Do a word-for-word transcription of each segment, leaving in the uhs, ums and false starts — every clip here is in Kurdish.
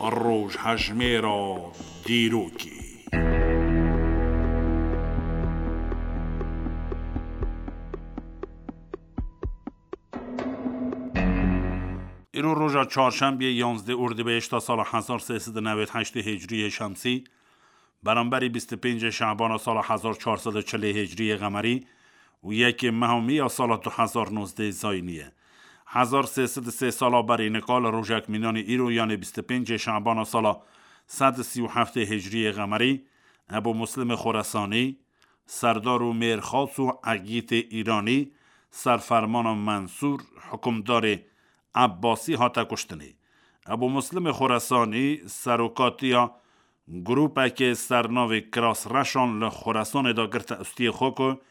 Rojhejmêra dîrokê. Îro roja çarşembiyê, yanzdeh Ordibehişta sala hezar sê sed û newed heştê Hicriyê Şemsî, beramberî bîst û pêncê Şabana sala hezar çar sed û çilê Hicriyê Qemerî û yekê meha Mîya sala du hezar nozdeh Zayînî ye. Hezar sê sed û sê sala berî nika li rojek mînanî îro, yanê bîst û pêncê Şabana sala sed û sî û heftê Hicriyê Qemerî, Ebû Muslimê Xoresanî, serdar û mêrxas û egîtê Îranî, serfermana Mensûr, hikûmdarê Ebbasî hate kuştinê. Ebû Muslimê Xoresanî serokatiya grûpekê sernavê Kiras Reşan li Xoresanê de girte ustiyê xwe ku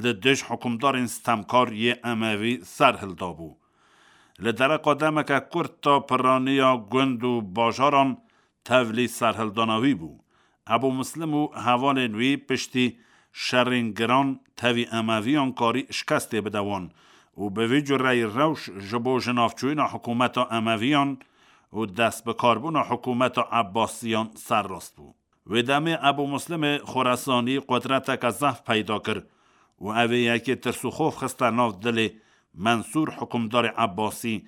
li dij hikûmdarên stemkar yê Emevî ser hildabû. Li dereqa demeke kurt de piraniya gund û bajaran tevlî serhildana wî bû. Ebû Muslim û hevalên wî piştî şerên giran tevî Emeviyan karî şikestê bide wan û bi vî cureyî rewş ji bo jinavçûyîna hikûmeta Emeviyan û destbikarbûna hikûmeta Ebbasiyan serrast bû. Wê demê Ebû Muslimê Xoresanî qudreteke zehf peyda kir û ev ê yekê tirs û xof xiste nav dilê Mensûr, hikûmdarê Ebbasî,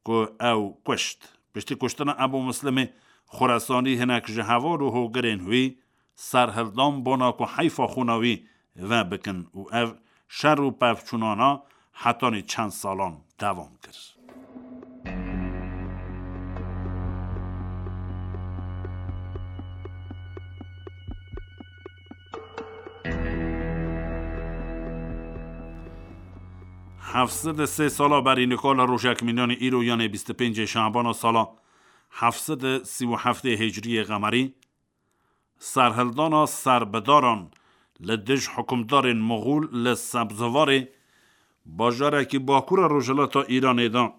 ku ew kuşt. Piştî kuştina Ebû Muslimê Xoresanî, hinek ji heval û hogirên wî serhildan bona ku heyfa xwîna wî vebikin û ev şer û pevçûnana hetanî çend salan devam kir. Heft sed û sê sala berî nika li rojek mînanî îro, yanê bîst û pêncê Şabana sala heft sed û sî û heftê Hicriyê Qemerî, serhildana serbidaran li dij hikûmdarên Moxûl li Sebzivarê, bajarekî bakûra rojhilata Îranê de,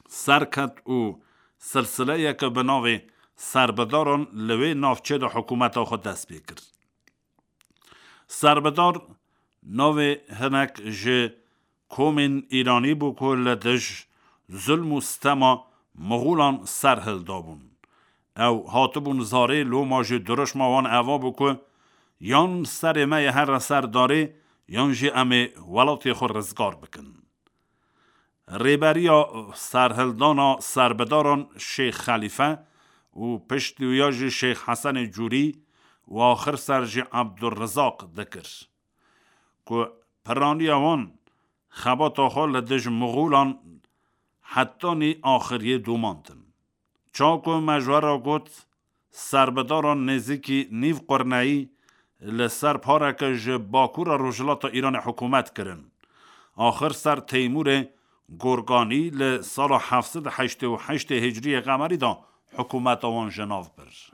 serket û silsileyeke bi navê serbidaran li wê navçê de hikûmeta xwe dest pê kir. Serbidar navê hinek ji komên Îranî bû ku li dij zulm û stema Moxûlan ser hildabûn. Ew hatibûn zarê, loma jî dirûşma wan eva bû ku yan serê me yê here ser darê, yan jî em ê welatê xwe rizgar bikin. Rêberiya serhildana serbidaran Şêx Xelîfe û piştî wî ya jî Şêx Hesenê Cûrî û axir ser jî Ebdulrizaq dikir, ku piraniya wan xebata xwe li dij Moxûlan hetanî axiriyê domandin. Çawa ku me ji we re got, serbidaran nêzîkî nîv qurneyî li ser pareke ji bakûra rojhilata Îranê hikûmet kirin. Axir ser Teymûrê Gorganî li sala heft sed û heştê û heştê Hicriyê Qemerî de hikûmeta wan ji nav bir.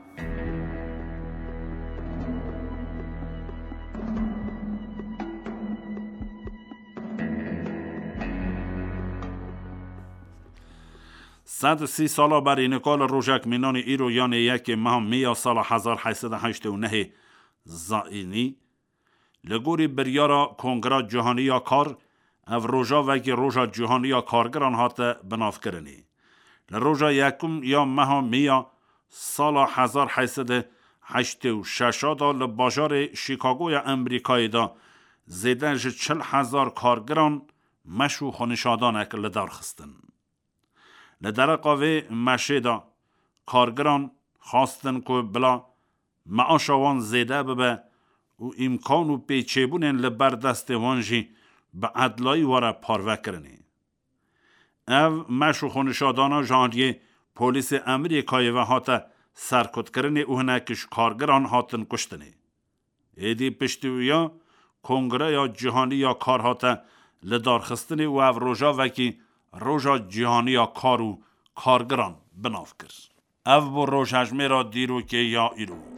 Sed û sî sala berî nika li rojek mînanî îro, yanê yekê meha Mîya sala hezar heyt sed û heştê û nehê Zayînî, li gorî biryara Kongra Cîhanî ya Kar, ev roja wekî Roja Cîhanî ya Kargiran hate binavkirinê. Li roja yekum ya meha Mîya sala hezar heyt sed û heştê û şeş de li bajarê Şîkagoya Amerîkayê de zêde ji çil hezar kargiran meş û xwenişadanek li dar xistin. Li dereqa vê meşê de kargiran xwestin ku bila meaşa wan zêde bibe û îmkan û pêçêbûnên li ber destê wan jî bi edlayî were parvekirinê. Ev meş û xwenişadana ji aliyê polîsê Amerîkayê ve hate serkutkirinê û hinek ji kargiran hatin kuştinê. Êdî piştî wî ya Kongreya Cîhanî ya Kar hate lidarxistinê û ev roja wekî Roja Cîhanî ya Kar û Kargiran bi nav kir. Ev bû rojhejmêra dîrokê ya îro.